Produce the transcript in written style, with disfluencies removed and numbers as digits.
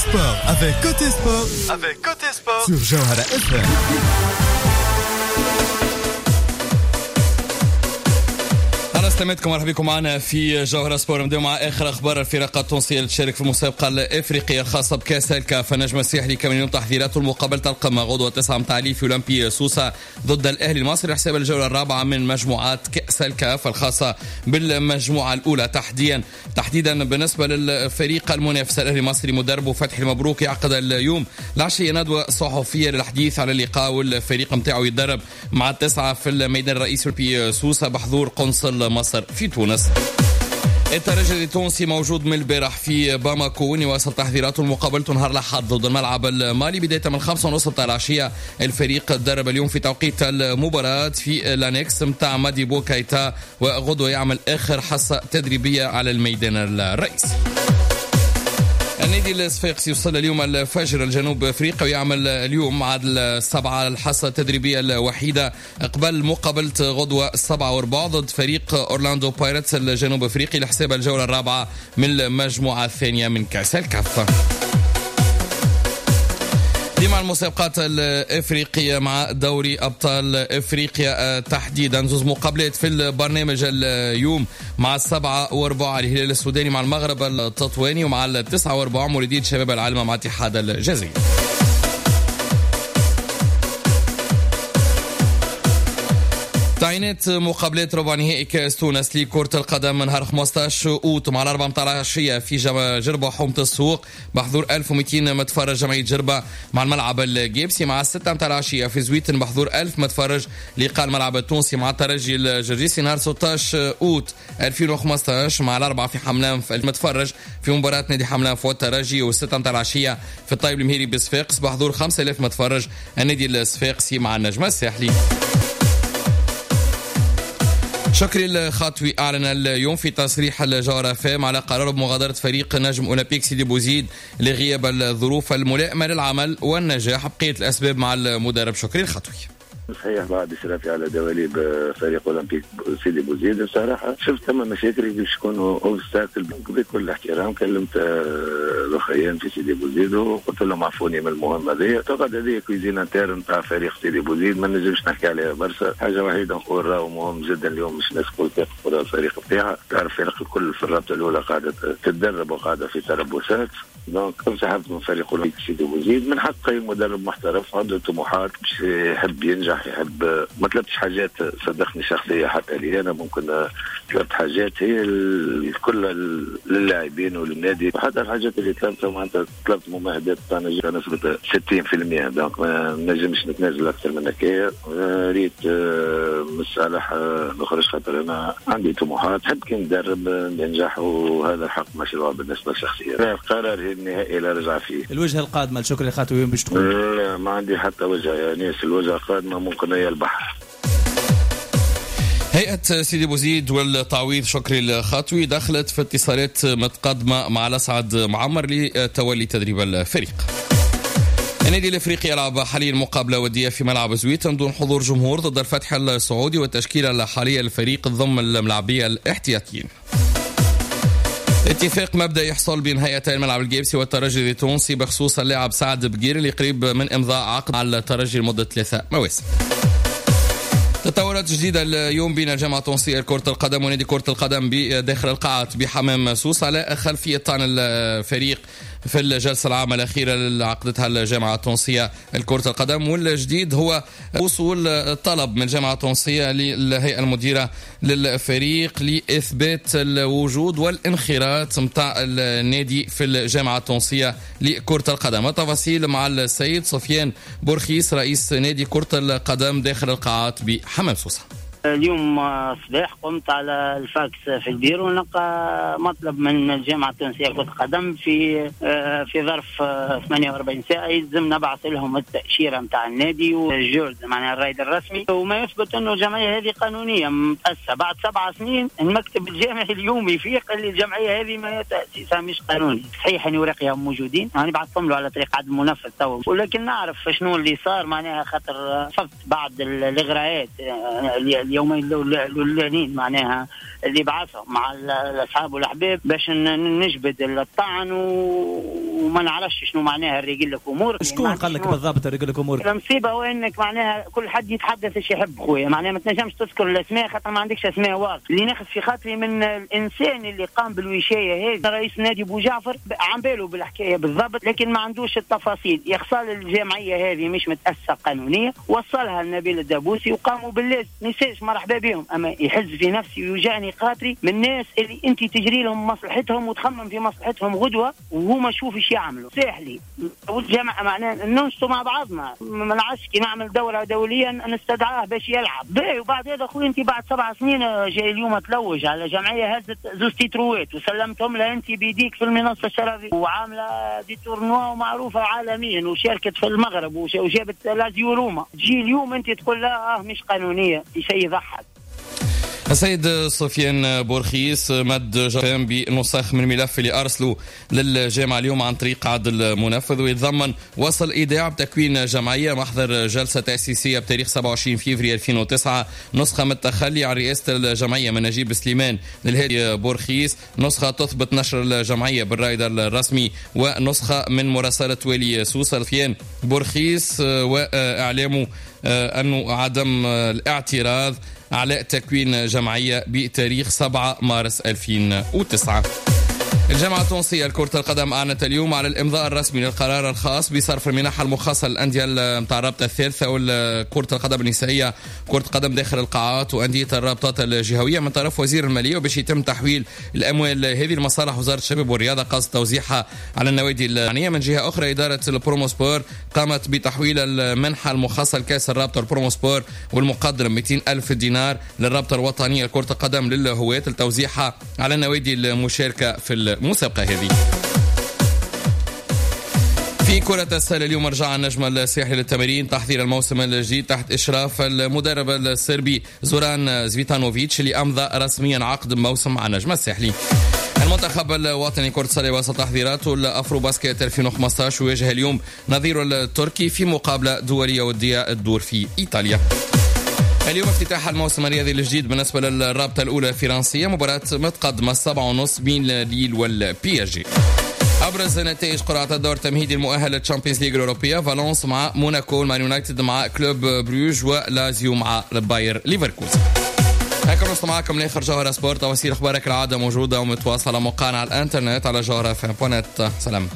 Sport avec Côté Sport avec Côté Sport sur Jawhara FM. سلامتكم، مرحبا بكم معنا في جوهرة سبور. نبداو مع اخر اخبار الفرق التونسية اللي تشارك في المسابقة الافريقية الخاصة بكاس الكاف. النجم الساحلي كان اليوم تحضيراته المقابلة القمه غدوه 9 متاع في اولمبي سوسة ضد الاهلي المصري حساب الجولة الرابعة من مجموعات كاس الكاف الخاصة بالمجموعة الاولى. تحديدا بالنسبة للفريق المنافس الاهلي المصري، مدربه فتحي المبروك يعقد اليوم العشية ندوه صحفية للحديث على اللقاء، والفريق نتاعو يتدرب مع 9 في الميدان الرئيسي في سوسة بحضور قنصل مصر في تونس. الترجي التونسي موجود من البارح في باماكو يواصل تحضيراته لمقابلته نهار الاحد ضد الملعب المالي بداية من 5:30 متاع العشية. الفريق تدرب اليوم في توقيت المباراة في l'annexe متاع ماديبو كايتا، وغدوة يعمل اخر حصة تدريبية على الميدان الرئيسي. النادي الصفاقسي يوصل اليوم الفجر الجنوب افريقيا ويعمل اليوم مع 7 الحصة التدريبية الوحيدة قبل مقابله غدوه 7:15 ضد فريق اورلاندو بايرتس الجنوب افريقي لحساب الجولة الرابعة من المجموعة الثانية من كاس الكاف. ديما المسابقات الافريقية مع دوري ابطال افريقيا تحديدا، زوز مقابلات في البرنامج اليوم مع 7:15 الهلال السوداني مع المغرب التطواني، ومع 9:15 مولودية شباب العلمة مع اتحاد الجزائر. تعيينات مقابلات ربع نهائي كاس تونس لكرة القدم نهار 15 أوت مع 4 متاع العشية في جربة حومة السوق بحضور 1200 متفرج جمعية جربة مع الملعب الجيبسي. مع 6 متاع العشية في زويتن بحضور 1000 متفرج لقاء الملعب التونسي مع الترجي الجرجيسي. نهار 16 أوت 2015 مع 4 في حملان المتفرج في مباراة نادي حملان والترجي، و6 متاع العشية في الطيب المهيري بصفاقس بحضور 5000 متفرج النادي الصفاقسي مع النجم الساحلي. شكري الخطوي أعلن اليوم في تصريح الجوهرة فام على قرار بمغادرة فريق نجم أولمبيك سيدي بوزيد لغياب الظروف الملائمة للعمل والنجاح. بقية الأسباب مع المدرب شكري الخطوي. صحيح بعد اشرافي على دواليب فريق اولمبيك سيدي بوزيد بصراحة شفت ثم مشاكل باش يكونوا obstacle. بكل احترام كلمت الاخرين في سيدي بوزيد وقلت لهم عفوني من المهمة هذه. اعتقد هذه cuisine interne تاع فريق سيدي بوزيد ما نجمش نحكي عليها برشا. حاجة وحيده نقول راهو مهم جدا اليوم باش الناس الكل تاخذ الفريق بتاعها. تعرف الفرق الكل في الرابطة الاولى قاعدة تتدرب وقاعدة في تربصات. donc انسحبت من فريق اولمبيك سيدي بوزيد. من حق اي مدرب محترف عنده طموحات باش يحب ينجح، يحب. ما طلبتش حاجات صدقني شخصية حتى لي انا، ممكن طلبت حاجات هي الكل للاعبين وللنادي. وحتى الحاجات اللي طلبتها معناتها طلبت ممهدات تاع نسبه 60%، donc ما نجمش نتنازل اكثر من هكايا. ريت من صالح نخرج خاطر انا عندي طموحات، نحب كي ندرب ننجح، وهذا حق مشروع بالنسبة للشخصية. القرار النهائي لا رجع فيه. الوجهة القادمة لشكري الخطوي وين باش تكون؟ لا ما عندي حتى وجهه يا ناس. الوجهة القادمة ممكن هي البحر. هيئة سيدي بوزيد والتعويض شكري الخطوي دخلت في اتصالات متقدمة مع الأسعد معمر لتولي تدريب الفريق. النادي الافريقي يلعب حاليا مقابله وديه في ملعب زويتن دون حضور جمهور ضد الفتح السعودي، والتشكيله الحالية للفريق تضم الملاعبيه الاحتياطيين. اتفاق مبدئي يحصل بين هيئتي الملعب الجيبسي والترجي التونسي بخصوص اللاعب سعد بقير اللي قريب من امضاء عقد على الترجي لمدة 3 مواسم. تطورات جديدة اليوم بين الجامعة التونسية لكرة القدم ونادي كرة القدم بداخل القاعات بحمام سوس على خلفية طعن الفريق في الجلسة العامة الأخيرة اللي عقدتها الجامعة التونسية لكرة القدم. والجديد هو وصول طلب من الجامعة التونسية للهيئة المديرة للفريق لإثبات الوجود والانخراط متاع النادي في الجامعة التونسية لكرة القدم. التفاصيل مع السيد سفيان بورخيس رئيس نادي كرة القدم داخل القاعات بحمام سوسة. اليوم الصباح قمت على الفاكس في البيرو ونلقى مطلب من الجامعة التونسية لكرة القدم في ظرف 48 ساعة يلزم نبعث لهم التأشيرة نتاع النادي والجورد معناها الرائد الرسمي، وما يثبت انه الجمعية هذه قانونية متأسسة. بعد 7 سنين المكتب الجامعي اليوم يفيق اللي الجمعية هذه ما تأسيسها مش قانوني. صحيح ان اوراقها موجودين، يعني بعثتهم له على طريق عدم منفذ تو، ولكن نعرف شنو اللي صار معناها خاطر فقط بعض الاغراءات اليومين الاولانيين معناها اللي بعثهم مع الاصحاب والاحباب باش نجبد الطعن وما نعرفش شنو معناها الرجل لك امورك. شكون قال لك بالضبط الرجل لك امورك؟ المصيبة هو انك معناها كل حد يتحدث ايش يحب خويا، معناها ما تنجمش تذكر الاسماء خاطر ما عندكش اسماء واضحة. اللي ناخذ في خاطري من الانسان اللي قام بالوشايه هذه رئيس نادي بو جعفر، عم باله بالحكاية بالضبط لكن ما عندوش التفاصيل. يخصال الجمعية هذه مش متاسسه قانونية، وصلها لنبيل الدبوسي وقاموا باللازم، ما مرحبا بهم، اما يحز في نفسي ويوجعني خاطري من الناس اللي انت تجري لهم مصلحتهم وتخمم في مصلحتهم غدوه وهما شوف ايش يعملوا. ساحلي والجامعة معناها ننشطوا مع بعضنا، ما نعرفش كي نعمل دوره دولية نستدعاه باش يلعب باهي. وبعد هذا خويا انت بعد 7 سنين جاي اليوم تلوج على جمعية هزت زوج تيتروات وسلمتهم لها انت بيديك في المنصة الشرفيه وعامله des tournois ومعروفة عالميا وشاركت في المغرب وجابت لازيو روما، تجي اليوم انت تقول لا مش قانونية، شيء يضحك. السيد سفيان بورخيس مد جرام بنسخ من الملف اللي أرسله للجامعة اليوم عن طريق عدل منفذ، ويتضمن وصل إيداع بتكوين جمعية، محضر جلسة تأسيسية بتاريخ 27 فبراير 2009، نسخة من التخلي عن رئاسة الجمعية من نجيب سليمان للهادي بورخيس، نسخة تثبت نشر الجمعية بالرائد الرسمي، ونسخة من مراسلة والي سوسة. سفيان بورخيس وإعلامه أنه عدم الاعتراض على تكوين جمعية بتاريخ 7 مارس 2009. الجامعة التونسية لكرة القدم أعلنت اليوم على الإمضاء الرسمي للقرار الخاص بصرف المنح المخصصة للأندية متاع الرابطة الثالثة وكرة القدم النسائية، كرة القدم داخل القاعات وأندية الرابطات الجهوية من طرف وزير المالية، وباش يتم تحويل الأموال هذه لمصالح وزارة الشباب والرياضة قصد توزيعها على النوادي المعنية. من جهة أخرى إدارة البروموسبور قامت بتحويل المنحة المخصصة لكأس الرابطة البروموسبور والمقدر 200 ألف دينار للرابطة الوطنية لكرة القدم للهواة لتوزيعها على النوادي المشاركة في المسابقة هذه. في كرة السلة اليوم رجع النجم الساحلي للتمارين تحضير الموسم الجديد تحت إشراف المدرب الصربي زوران زفيتانوفيتش اللي أمضى رسميا عقد موسم مع النجم الساحلي. المنتخب الوطني كرة السلة واصل تحضيراته لأفرو باسكت 2015 ويواجه اليوم نظيره التركي في مقابلة دولية ودية الدور في إيطاليا. اليوم افتتاح الموسم الرياضي الجديد بالنسبة للرابطة الأولى الفرنسية، مباراة متقدمة 7:30 بين ليل والبي اس جي. أبرز نتائج قرعة الدور التمهيدي المؤهل لل Champions League الأوروبية: فالونس مع موناكو، مان يونايتد مع كلوب بروج، ولازيو مع باير ليفركوزن. هكذا نوصل معكم لآخر جوهرة سبورت. تفاصيل أخبارك العادة موجودة ومتواصلة موقعنا على الإنترنت على جوهرة FM.net. سلام.